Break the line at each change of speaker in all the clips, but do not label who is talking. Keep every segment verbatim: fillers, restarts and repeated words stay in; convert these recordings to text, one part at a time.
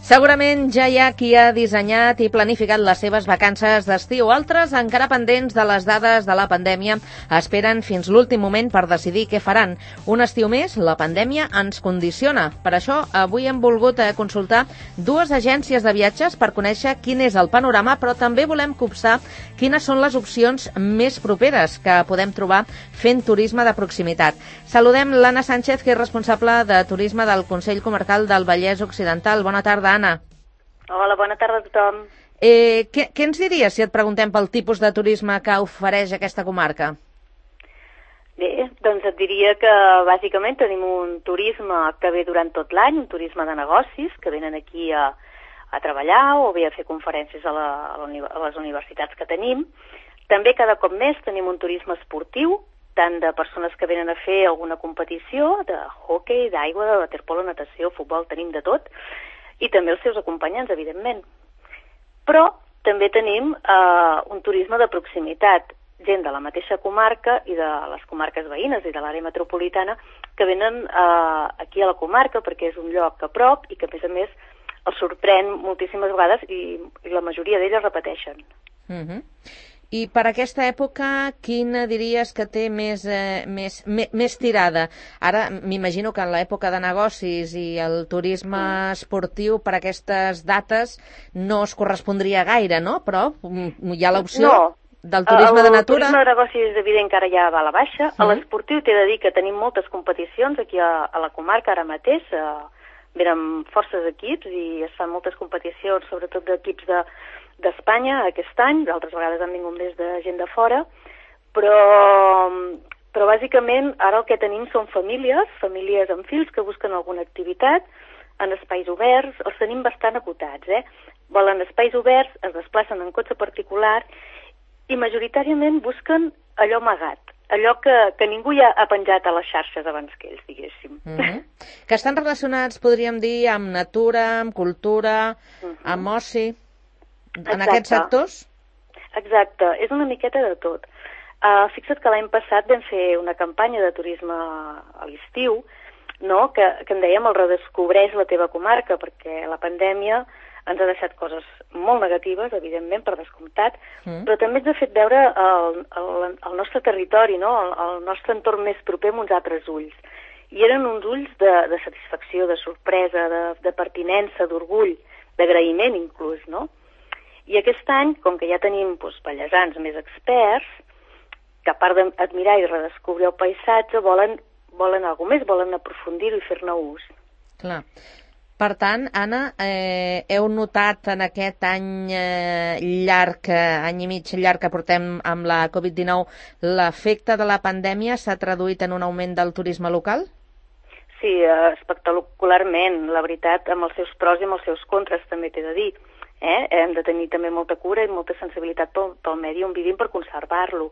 Segurament ja hi ha qui ha dissenyat i planificat les seves vacances d'estiu. Altres, encara pendents de les dades de la pandèmia, esperen fins l'últim moment per decidir què faran. Un estiu més, la pandèmia ens condiciona. Per això, avui hem volgut consultar dues agències de viatges per conèixer quin és el panorama, però també volem copsar quines són les opcions més properes que podem trobar fent turisme de proximitat. Saludem l'Anna Sánchez, que és responsable de turisme del Consell Comarcal del Vallès Occidental. Bona tarda, Anna.
Hola, bona tarda a tothom.
Eh, què, què ens diries si et preguntem pel tipus de turisme que ofereix aquesta comarca?
Bé, doncs et diria que bàsicament tenim un turisme que ve durant tot l'any, un turisme de negocis, que venen aquí a, a treballar o bé a fer conferències a, la, a, la, a les universitats que tenim. També cada cop més tenim un turisme esportiu, tant de persones que venen a fer alguna competició, de hoquei, d'aigua, de waterpolo, natació, futbol, tenim de tot, i també els seus acompanyants, evidentment. Però també tenim eh, un turisme de proximitat, gent de la mateixa comarca i de les comarques veïnes i de l'àrea metropolitana que venen eh, aquí a la comarca perquè és un lloc a prop i que, a més a més, els sorprèn moltíssimes vegades i, i la majoria d'elles repeteixen.
Uh-huh. I per aquesta època, quina diries que té més, eh, més, més, més tirada? Ara m'imagino que en l'època de negocis i el turisme mm. esportiu per aquestes dates no es correspondria gaire, no? Però hi ha l'opció
no.
del turisme
el,
de natura.
El turisme de negocis és evident que ara ja va a la baixa. Mm. A l'esportiu t'he de dir que tenim moltes competicions aquí a, a la comarca ara mateix. Eh, venen forces equips i es fan moltes competicions, sobretot d'equips de d'Espanya aquest any, d'altres vegades han vingut més de gent de fora, però, però bàsicament ara el que tenim són famílies, famílies amb fills que busquen alguna activitat en espais oberts, els tenim bastant acotats, eh? Volen espais oberts, es desplacen en cotxe particular i majoritàriament busquen allò amagat, allò que, que ningú ja ha penjat a les xarxes abans que ells, diguéssim.
Mm-hmm. Que estan relacionats, podríem dir, amb natura, amb cultura, mm-hmm. amb oci... En
Exacte.
Aquests sectors?
Exacte, és una miqueta de tot. Uh, fixa't que l'any passat vam fer una campanya de turisme a l'estiu, no? que, que en dèiem el redescobreix la teva comarca, perquè la pandèmia ens ha deixat coses molt negatives, evidentment, per descomptat, mm. però també ens ha fet veure el, el, el nostre territori, no? el, el nostre entorn més proper amb uns altres ulls. I eren uns ulls de, de satisfacció, de sorpresa, de, de pertinença, d'orgull, d'agraïment inclús, no? I aquest any, com que ja tenim doncs, vallesans més experts, que a part d'admirar i redescobrir el paisatge, volen, volen alguna més, volen aprofundir-ho i fer-ne ús.
Clar. Per tant, Anna, eh, heu notat en aquest any eh, llarg, any i mig llarg que portem amb la covid dinou, l'efecte de la pandèmia s'ha traduït en un augment del turisme local?
Sí, espectacularment, la veritat, amb els seus pros i amb els seus contres, també t'he de dir. Eh? Hem de tenir també molta cura i molta sensibilitat pel, pel medi on vivim per conservar-lo.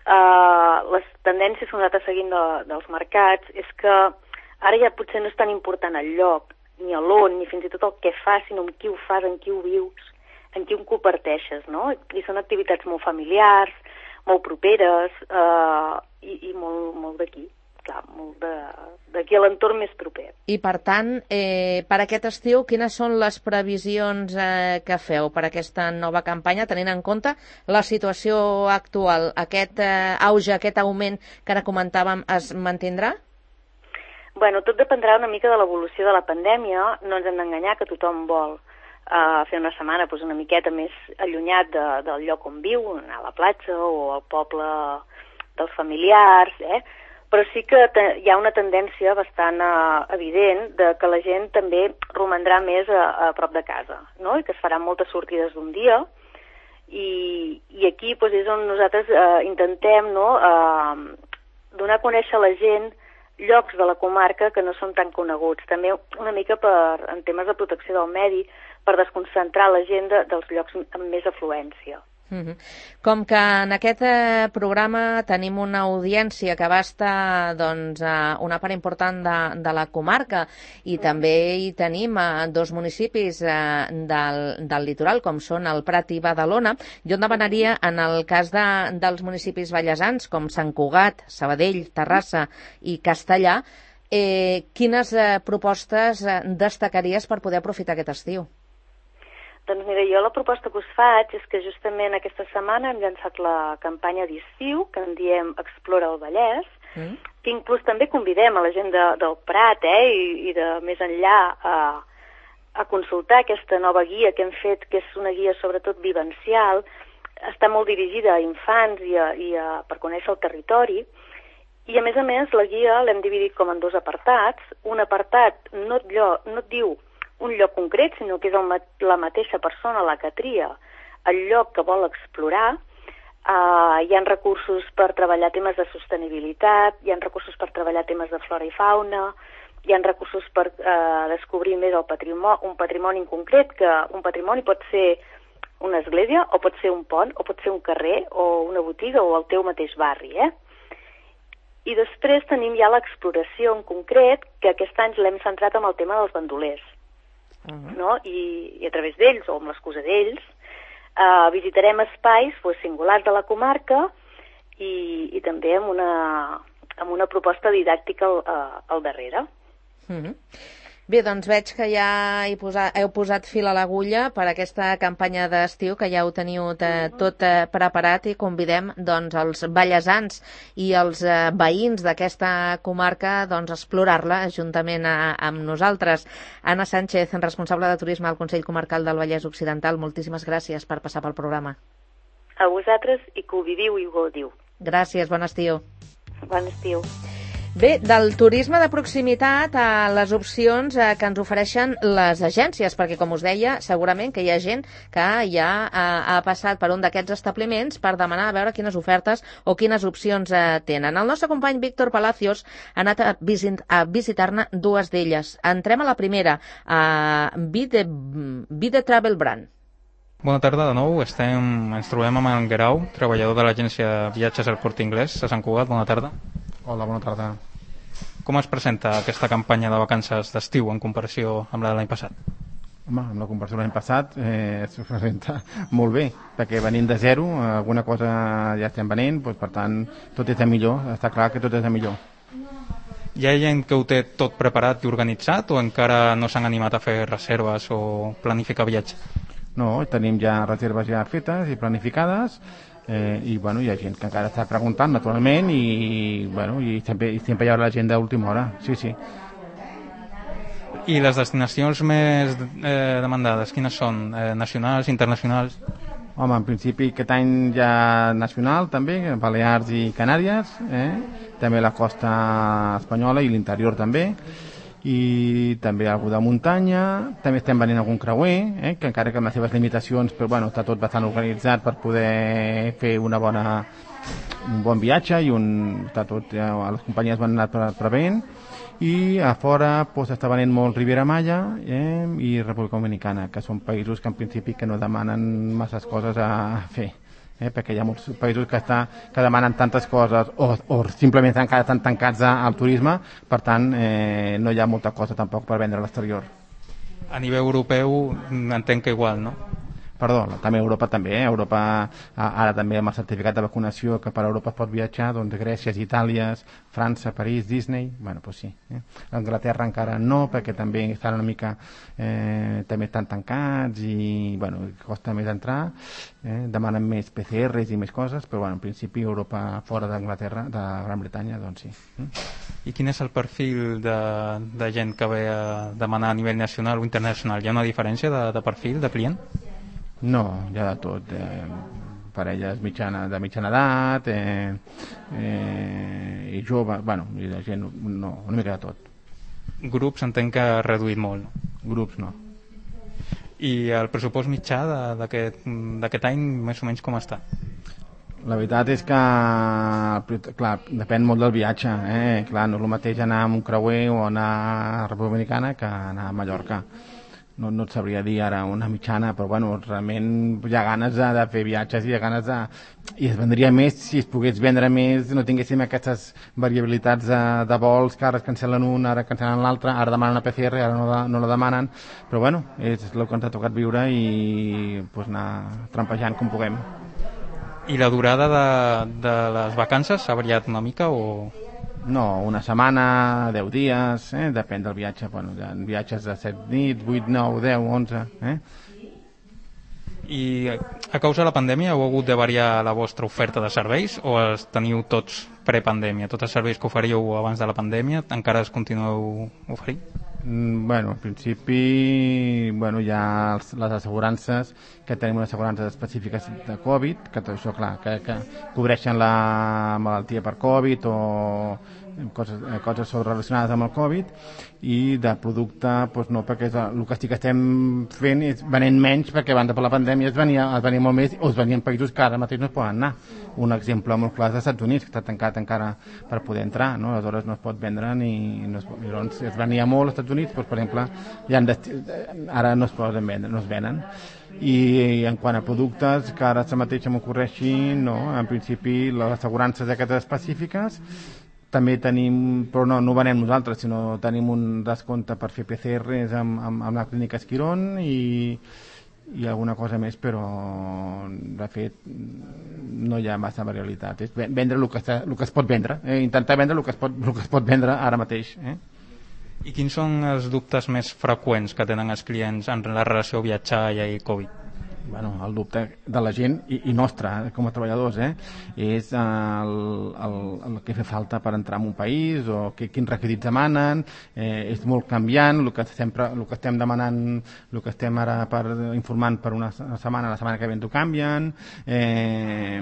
Uh, les tendències que nosaltres seguim de, dels mercats és que ara ja potser no és tan important el lloc, ni l'on, ni fins i tot el que fas, sinó amb qui ho fas, en qui ho vius, en qui ho comparteixes, no? I són activitats molt familiars, molt properes uh, i, i molt, molt d'aquí. Clar, molt d'aquí a l'entorn més proper.
I per tant, eh, per aquest estiu, quines són les previsions eh, que feu per aquesta nova campanya, tenint en compte la situació actual? Aquest eh, auge, aquest augment que ara comentàvem, es mantindrà?
Bueno, tot dependrà una mica de l'evolució de la pandèmia. No ens hem d'enganyar que tothom vol uh, fer una setmana doncs, una miqueta més allunyat de, del lloc on viu, anar a la platja o al poble dels familiars, eh? Però sí que hi ha una tendència bastant uh, evident de que la gent també romandrà més a, a prop de casa, no? I que es faran moltes sortides d'un dia i, i aquí doncs, és on nosaltres uh, intentem no, uh, donar a conèixer a la gent llocs de la comarca que no són tan coneguts, també una mica per, en temes de protecció del medi, per desconcentrar la gent de, dels llocs amb més afluència.
Uh-huh. Com que en aquest eh, programa tenim una audiència que abasta doncs, eh, una part important de, de la comarca i uh-huh. també hi tenim eh, dos municipis eh, del, del litoral, com són el Prat i Badalona, jo en demanaria, en el cas de, dels municipis vallesans, com Sant Cugat, Sabadell, Terrassa i Castellar, Eh, quines eh, propostes eh, destacaries per poder aprofitar aquest estiu?
Doncs mira, jo la proposta que us faig és que justament aquesta setmana hem llançat la campanya d'estiu, que en diem Explora el Vallès, mm. que inclús també convidem a la gent de, del Prat eh, i, i de més enllà a, a consultar aquesta nova guia que hem fet, que és una guia sobretot vivencial, està molt dirigida a infants i, a, i a, per conèixer el territori, i a més a més la guia l'hem dividit com en dos apartats. Un apartat no et, llo, no et diu un lloc concret, sinó que és el, la mateixa persona la que tria el lloc que vol explorar. Uh, hi ha recursos per treballar temes de sostenibilitat, hi ha recursos per treballar temes de flora i fauna, hi ha recursos per uh, descobrir més el patrimoni, un patrimoni en concret, que un patrimoni pot ser una església, o pot ser un pont, o pot ser un carrer, o una botiga, o el teu mateix barri, eh? I després tenim ja l'exploració en concret, que aquest any l'hem centrat en el tema dels bandolers. Uh-huh. No? I, i a través d'ells, o amb l'excusa d'ells, eh, visitarem espais pues, singulars de la comarca i, i també amb una, amb una proposta didàctica al, al darrere.
Uh-huh. Bé, doncs veig que ja hi posa, heu posat fil a l'agulla per aquesta campanya d'estiu, que ja ho teniu eh, tot eh, preparat, i convidem doncs, els vallesans i els eh, veïns d'aquesta comarca doncs, a explorar-la juntament a, amb nosaltres. Anna Sánchez, responsable de turisme al Consell Comarcal del Vallès Occidental, moltíssimes gràcies per passar pel programa.
A vosaltres, i que ho viviu i ho gaudiu.
Gràcies, bon estiu.
Bon estiu.
Bé, del turisme de proximitat a les opcions eh, que ens ofereixen les agències, perquè, com us deia, segurament que hi ha gent que ja ha, ha passat per un d'aquests establiments per demanar a veure quines ofertes o quines opcions eh, tenen. El nostre company Víctor Palacios ha anat a, visit, a visitar-ne dues d'elles. Entrem a la primera, a Vide, Vide Travel Brand.
Bona tarda de nou. Estem, ens trobem amb en Guerau, treballador de l'agència Viatges al Corte Inglés a Sant Cugat. Bona tarda.
Hola, bona tarda.
Com es presenta aquesta campanya de vacances d'estiu en comparació amb la de l'any passat?
Home, amb la comparació de l'any passat eh, es presenta molt bé, perquè venint de zero, alguna cosa ja estem venent, doncs, per tant, tot és de millor, està clar que tot és de millor.
Hi ha gent que ho té tot preparat i organitzat o encara no s'han animat a fer reserves o planificar viatge?
No, tenim ja reserves ja fetes i planificades, Eh, i bueno, hi ha gent que encara està preguntant naturalment i, bueno, i, sempre, i sempre hi haurà la gent d'última hora, sí, sí.
I les destinacions més eh, demandades, quines són? Eh, nacionals, internacionals?
Home, en principi aquest any ja nacional també, Balears i Canàries, eh? També la costa espanyola i l'interior també, i també algú de muntanya, també estem venint algun creuer, eh, que encara que amb les seves limitacions, però bueno, està tot bastant organitzat per poder fer una bona, un bon viatge, i un, està tot, ja, les companyies van anar preveient, i a fora doncs, està venint molt Riviera Maya eh, i República Dominicana, que són països que en principi que no demanen masses coses a fer. Eh, perquè hi ha molts països que, està, que demanen tantes coses o, o simplement encara estan tancats al turisme, per tant eh, no hi ha molta cosa tampoc per vendre a l'exterior.
A nivell europeu entenc que igual, no?
Perdó, també a Europa també, eh? Europa, ara també amb el certificat de vacunació que per Europa es pot viatjar, doncs Grècia, Itàlia, França, París, Disney, bueno, doncs sí. Eh? Anglaterra encara no, perquè també estan una mica, eh, també estan tancats i, bueno, costa més entrar, eh? Demanen més P C Rs i més coses, però, bueno, en principi Europa fora d'Anglaterra, de Gran Bretanya, doncs sí. Eh?
I quin és el perfil de, de gent que ve a demanar a nivell nacional o internacional? Hi ha una diferència de, de perfil, de client?
No, hi ha de tot, eh, parelles mitjana, de mitjana edat, eh, eh, i jove, bueno, i de gent, no, una mica de tot.
Grups entenc que ha reduït molt, no?
Grups no.
I el pressupost mitjà d'aquest any, més o menys, com està?
La veritat és que, clar, depèn molt del viatge, eh? Clar, no és el mateix anar amb un creuer o anar a República Dominicana que anar a Mallorca. No, no et sabria dir ara una mitjana, però bueno, realment hi ha ganes de, de fer viatges i hi ha ganes de... I es vendria més si es pogués vendre més, no tinguéssim aquestes variabilitats de, de vols, que ara es cancel·len un, ara cancel·len l'altre, ara demanen una P C R, ara no la, no la demanen, però bueno, és el que ens ha tocat viure i pues, anar trampejant com puguem.
I la durada de, de les vacances s'ha variat una mica o...?
No, una setmana, deu dies, eh? Depèn del viatge. Bueno, hi ha viatges de set nits, vuit, nou, deu, onze... Eh?
I a causa de la pandèmia heu hagut de variar la vostra oferta de serveis o els teniu tots prepandèmia? Tots els serveis que oferíeu abans de la pandèmia encara els continueu oferint?
Mm, bueno, en principi bueno, hi ha els, les assegurances, que tenim unes assegurances específiques de Covid, que tot això, clar, que, que cobreixen la malaltia per Covid o coses, coses relacionades amb el Covid, i de producte doncs no, perquè és, el que sí que estem fent és venent menys, perquè abans de la pandèmia es venia, es venia molt més, o es venien països que ara mateix no es poden anar. Un exemple molt clar és als Estats Units, que està tancat encara per poder entrar, no? Aleshores no es pot vendre ni no es, pot, doncs es venia molt als Estats Units, doncs, per exemple, ja ara no es poden vendre, no es venen. I, i en quant a productes que ara mateix m'ocorreixi, no, en principi les assegurances aquestes específiques també tenim, però no, no ho venem nosaltres, sinó tenim un descompte per fer P C Rs amb, amb, amb la clínica Esquirón i, i alguna cosa més, però de fet no hi ha massa variabilitat. És vendre el que, està, el que es pot vendre, eh? Intentar vendre el que, es pot, el que es pot vendre ara mateix. Eh?
I quins són els dubtes més freqüents que tenen els clients en la relació viatjar i Covid?
Bueno, el dubte de la gent i, i nostre, eh, com a treballadors, eh, és el, el, el que fa falta per entrar en un país o que, quins requisits demanen, eh, és molt canviant, el que, sempre, el que estem demanant, el que estem ara per, informant per una setmana, la setmana que ve ho canvien, eh,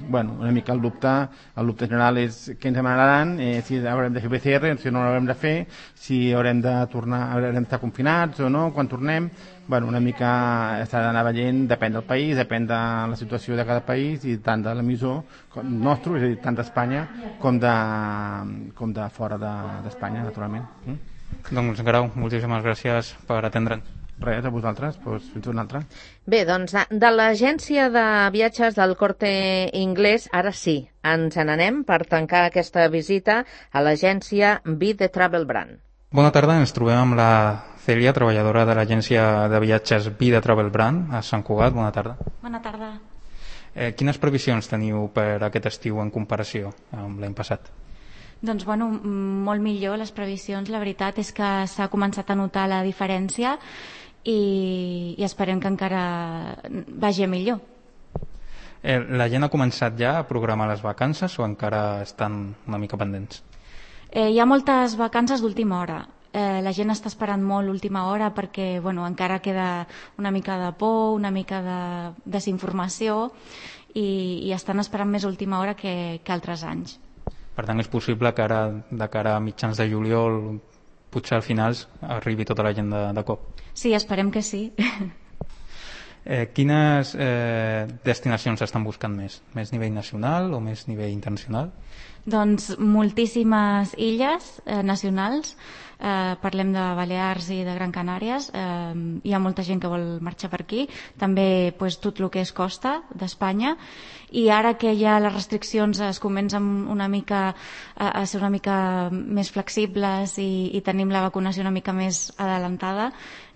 bueno, una mica el dubte, el dubte general és què ens demanaran, eh, si haurem de fer P C R, si no l'haurem de fer, si haurem de tornar, haurem d'estar confinats o no, quan tornem. Bueno, una mica s'ha d'anar veient, depèn del país, depèn de la situació de cada país i tant de l'emissor nostre, és a dir, tant d'Espanya com de, com de fora d'Espanya, de, naturalment. Mm?
Doncs, Grau, moltíssimes gràcies per atendre'ns.
Res, a vosaltres, doncs fins una altra.
Bé, doncs de, de l'agència de viatges del Corte Inglés, ara sí, ens n'anem per tancar aquesta visita a l'agència Be The Travel Brand.
Bona tarda, ens trobem amb la Cèlia, treballadora de l'agència de viatges Be The Travel Brand a Sant Cugat. Bona tarda.
Bona tarda.
Eh, quines previsions teniu per aquest estiu en comparació amb l'any passat?
Doncs, bueno, molt millor les previsions. La veritat és que s'ha començat a notar la diferència i, i esperem que encara vagi millor.
Eh, la gent ha començat ja a programar les vacances o encara estan una mica pendents?
Eh, hi ha moltes vacances d'última hora. Eh, la gent està esperant molt l'última hora perquè bueno, encara queda una mica de por, una mica de desinformació i, i estan esperant més última hora que, que altres anys.
Per tant, és possible que ara, de cara a mitjans de juliol, potser al finals arribi tota la gent de, de cop?
Sí, esperem que sí.
Eh, quines eh, destinacions estan buscant més? Més nivell nacional o més nivell internacional?
Doncs moltíssimes illes eh, nacionals, eh, parlem de Balears i de Gran Canàries, eh, hi ha molta gent que vol marxar per aquí, també pues, tot el que és costa d'Espanya, i ara que ja les restriccions es comencen una mica a, a ser una mica més flexibles i, i tenim la vacunació una mica més adelantada,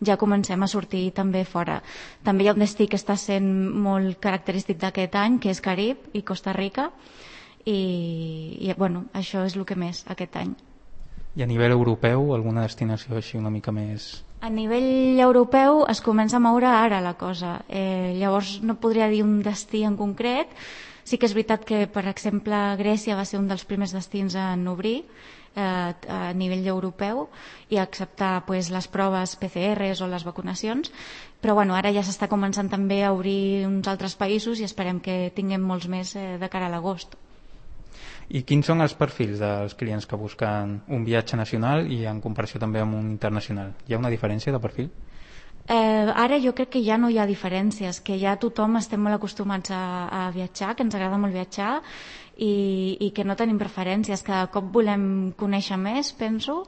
ja comencem a sortir també fora. També hi ha un destí que està sent molt característic d'aquest any, que és Carib i Costa Rica, i, i bueno, això és el que més aquest any.
I a nivell europeu, alguna destinació així una mica més...
A nivell europeu es comença a moure ara la cosa. Eh, llavors no podria dir un destí en concret. Sí que és veritat que, per exemple, Grècia va ser un dels primers destins en obrir eh, a nivell europeu i acceptar pues, les proves P C Rs o les vacunacions, però bueno, ara ja s'està començant també a obrir uns altres països i esperem que tinguem molts més eh, de cara a l'agost.
I quins són els perfils dels clients que busquen un viatge nacional i en comparació també amb un internacional? Hi ha una diferència de perfil?
Eh, ara jo crec que ja no hi ha diferències, que ja tothom estem molt acostumats a, a viatjar, que ens agrada molt viatjar i, i que no tenim preferències, cada cop volem conèixer més, penso,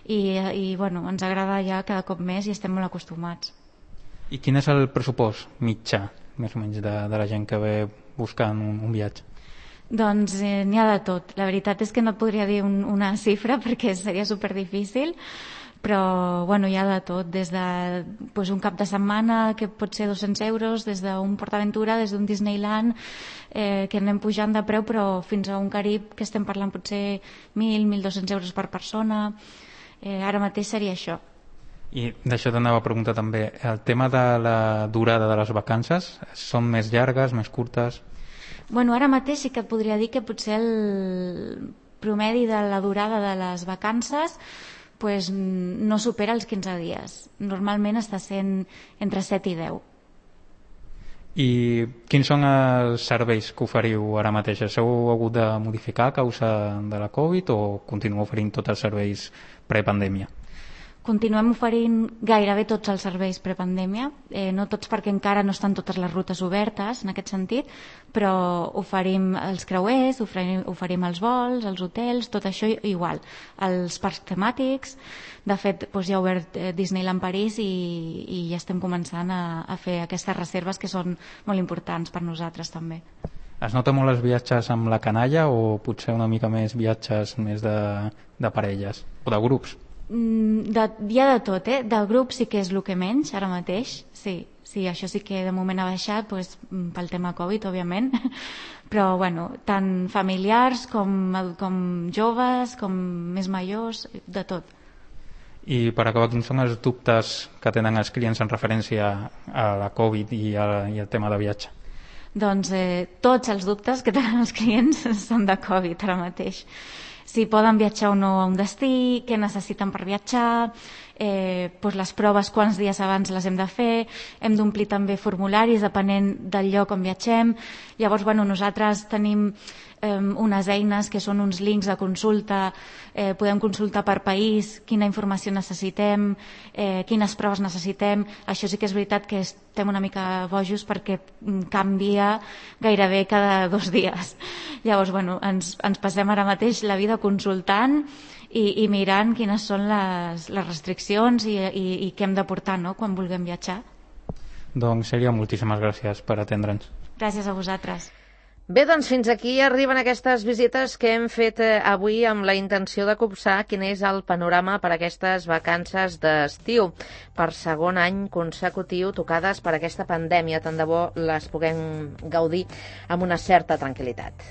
i, i bueno, ens agrada ja cada cop més i estem molt acostumats.
I quin és el pressupost mitjà, més o menys, de, de la gent que ve buscant un, un viatge?
Doncs eh, n'hi ha de tot. La veritat és que no et podria dir un, una xifra perquè seria superdifícil, però bueno, hi ha de tot, des de pues, un cap de setmana que pot ser dos-cents euros, des d'un PortAventura, des d'un Disneyland, eh, que anem pujant de preu, però fins a un Carib que estem parlant potser mil, mil dos-cents euros per persona. Eh, ara mateix seria això.
I d'això t'anava a preguntar també, el tema de la durada de les vacances, són més llargues, més curtes?
Bueno, ara mateix sí que et podria dir que potser el promedi de la durada de les vacances pues, no supera els quinze dies. Normalment està sent entre set i deu.
I quins són els serveis que oferiu ara mateix? S'heu hagut de modificar a causa de la Covid o continueu oferint tots els serveis prepandèmia?
Continuem oferint gairebé tots els serveis prepandèmia, eh, no tots perquè encara no estan totes les rutes obertes en aquest sentit, però oferim els creuers, oferim, oferim els vols, els hotels, tot això igual. Els parcs temàtics, de fet doncs ja ha obert eh, Disneyland París i, i ja estem començant a, a fer aquestes reserves que són molt importants per nosaltres també.
Es nota molt els viatges amb la canalla o potser una mica més viatges més de, de parelles o de grups?
De, hi ha de tot, eh? De grup sí que és el que menys ara mateix, sí, sí, això sí que de moment ha baixat pues, pel tema Covid, òbviament, però bueno, tant familiars com, com joves, com més majors, de tot.
I per acabar, quins són els dubtes que tenen els clients en referència a la Covid i, a, i al tema de viatge?
Doncs eh, tots els dubtes que tenen els clients són de Covid ara mateix. Si poden viatjar o no a un destí, què necessiten per viatjar, eh, doncs les proves quants dies abans les hem de fer, hem d'omplir també formularis depenent del lloc on viatgem. Llavors, bueno, nosaltres tenim eh, unes eines que són uns links de consulta, eh, podem consultar per país quina informació necessitem, eh, quines proves necessitem. Això sí que és veritat que estem una mica bojos perquè canvia gairebé cada dos dies. Llavors, bueno, ens, ens passem ara mateix la vida consultant i, i mirant quines són les, les restriccions i, i, i què hem de portar, no?, quan vulguem viatjar.
Doncs seria moltíssimes gràcies per atendre'ns.
Gràcies a vosaltres.
Bé, doncs fins aquí arriben aquestes visites que hem fet avui amb la intenció de copsar quin és el panorama per a aquestes vacances d'estiu. Per segon any consecutiu tocades per aquesta pandèmia, tant de bo les puguem gaudir amb una certa tranquil·litat.